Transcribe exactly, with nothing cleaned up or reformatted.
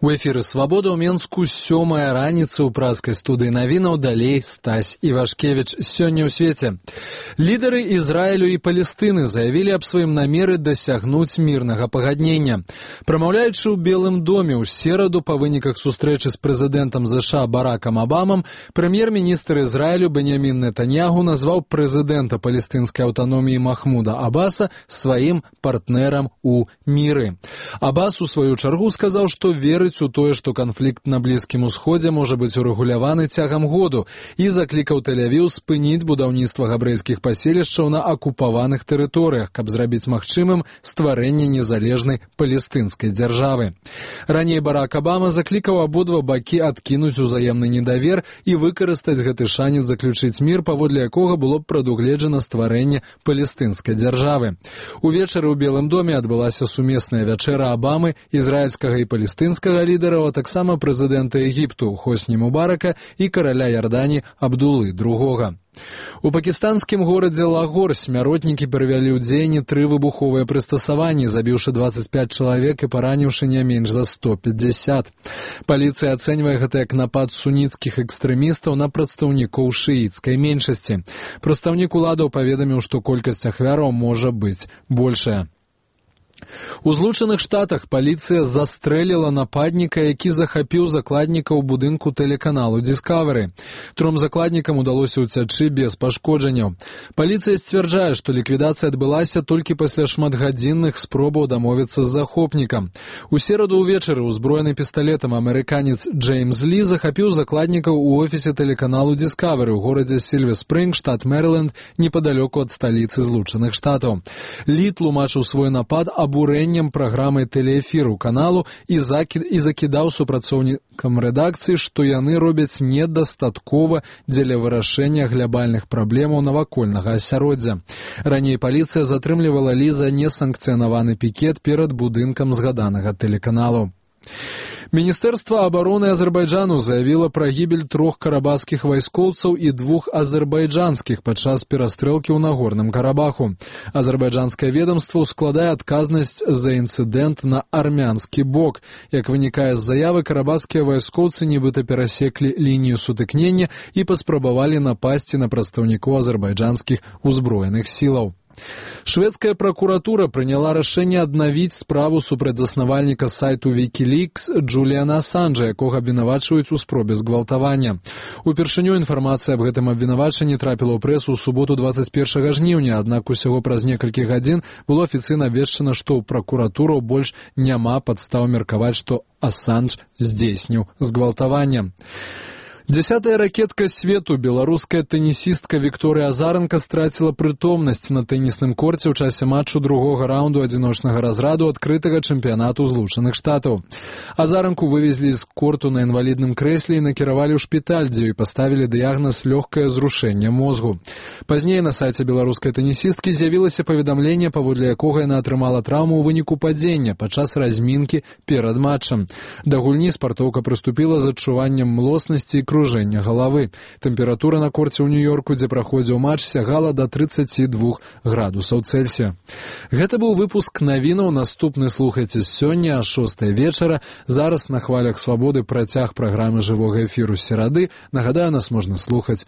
У эфіры «Свабода» ў Менску сёмая раніца ў праскай студыі навінаў, далей Стась Івашкевіч. Сёння ў свеце. Лідары Ізраілю і Палестыны заявілі аб сваім намеры дасягнуць мірнага пагаднення. Прамаўляючы ў Белым доме ў сераду па выніках сустрэчы з прэзідэнтам ЗША Баракам Абамам, прэм'ер-міністр Ізраілю Беньямін Нетаньяху назваў прэзідэнта палестынскай аўтаноміі Махмуда Абаса сваім партнерам у міры. Абас у сваю чаргу сказаў, што верыць у тое, што канфлікт на Блізкім Усходзе можа быць урэгуляваны цягам году, і заклікаў Тель-Авіў спыніць будаўніцтва габрэйскіх паселішчаў на акупаваных тэрыторыях, каб зрабіць магчымым стварэнне незалежнай палестынскай дзяржавы. Раней Барак Абама заклікаў абодва бакі адкінуць узаемны недавер і выкарыстаць гэты шанец заключыць мір, паводле якога было б прадугледжана стварэнне палестынскай дзяржавы. Увечары ў Белым доме адбылася сумесная вячэра Абамы, ізраільскага і палестынскага лідараў, а таксама прэзідэнта Егіпту Хосні Мубарака і караля Ярдані Абдулы другога. У пакістанскім горадзе Лагор смяротнікі перавялі ў дзеянне тры выбуховыя прыстасаванні, забіўшы дваццаць пяць чалавек і параніўшы не менш за сто пятьдесят. Паліцыя ацэньвае гэта як напад суніцкіх экстрэмістаў на прадстаўнікоў шыіцкай меншасці. Прадстаўнік уладаў паведаміў, што колькасць ахвяраў можа быць большая. У Злучаных Штатах паліцыя застрэліла нападніка, які захапіў закладніка ў будынку тэлеканалу Discovery. Тром закладнікам удалося ўцячы без пашкоджанняў. Паліцыя сцвярджае, што ліквідацыя адбылася толькі пасля шматгадзінных спробаў дамовіцца з захопнікам. У сераду ўвечары ўзброены пісталетам амерыканец Джеймс Лі захапіў закладнікаў у офісе тэлеканалу Discovery ў горадзе Сільвер-Спрынг, штат Мэриленд, непадалёку ад сталіцы Злучаных Штатаў. Лі тлумачыў свой напад абурэннем праграмы тэлеэфіру каналу і, закід, і закідаў супрацоўнікам рэдакцыі, што яны робяць недастаткова дзеля вырашэння глябальных праблемаў навакольнага асяроддзя. Раней паліцыя затрымлівала Лі за несанкцыянаваны пікет перад будынкам згаданага тэлеканалу. Міністэрства абароны Азербайджану заявіла пра гібель трох карабахскіх вайскоўцаў і двух азербайджанскіх падчас перастрэлкі ў Нагорным Карабаху. Азербайджанскае ведомства ўскладае адказнасць за інцыдэнт на армянскі бок. Як вынікае з заявы, карабахскія вайскоўцы нібыта перасеклі лінію сутыкнення і паспрабавалі напасці на прадстаўнікоў азербайджанскіх узброеных сілаў. Шведская пракуратура прыняла рашэнне аднавіць справу супраць заснавальніка сайту Wikileaks Джуліана Асанжа, якога абвінавачваюць у спробе згвалтавання. Упершыню інфармацыя аб гэтым абвінавачанні трапіла ў прэсу ў суботу дваццаць першага жніўня, аднак усяго праз некалькі гадзін было афіцыйна абвешчана, што ў пракуратуру больш няма падстаў меркаваць, што Асанж здзейсніў згвалтаванне. Дзясятая ракетка свету, беларуская тэнісістка Вікторыя Азаранка страціла прытомнасць на тэнісным корце ў часе матчу другога раунду адзіночнага разраду адкрытага чэмпіянату Злучаных Штатаў. Азаранку вывезлі з корту на інвалідным крэсле і накіравалі ў шпіталь, дзе ёй паставілі дыягназ лёгкае зрушэнне мозгу. Пазней на сайце беларускай тэнісісткі з'явілася паведамленне, паводле якога яна атрымала траўму ў выніку падзення падчас размінкі перад матчам. Да гульні спартоўка прыступіла з адчуваннем млоснасці і кружэння галавы. Тэмпература на корце ў Нью-Йорку, дзе праходзіў матч, сягала да трыццаці двух градусаў Цельсія. Гэта быў выпуск навінаў. Наступны слухайце сёння а шостай вечара. Зараз на хвалях свабоды працяг праграмы жывога эфіру серады. Нагадаю, нас можна слухаць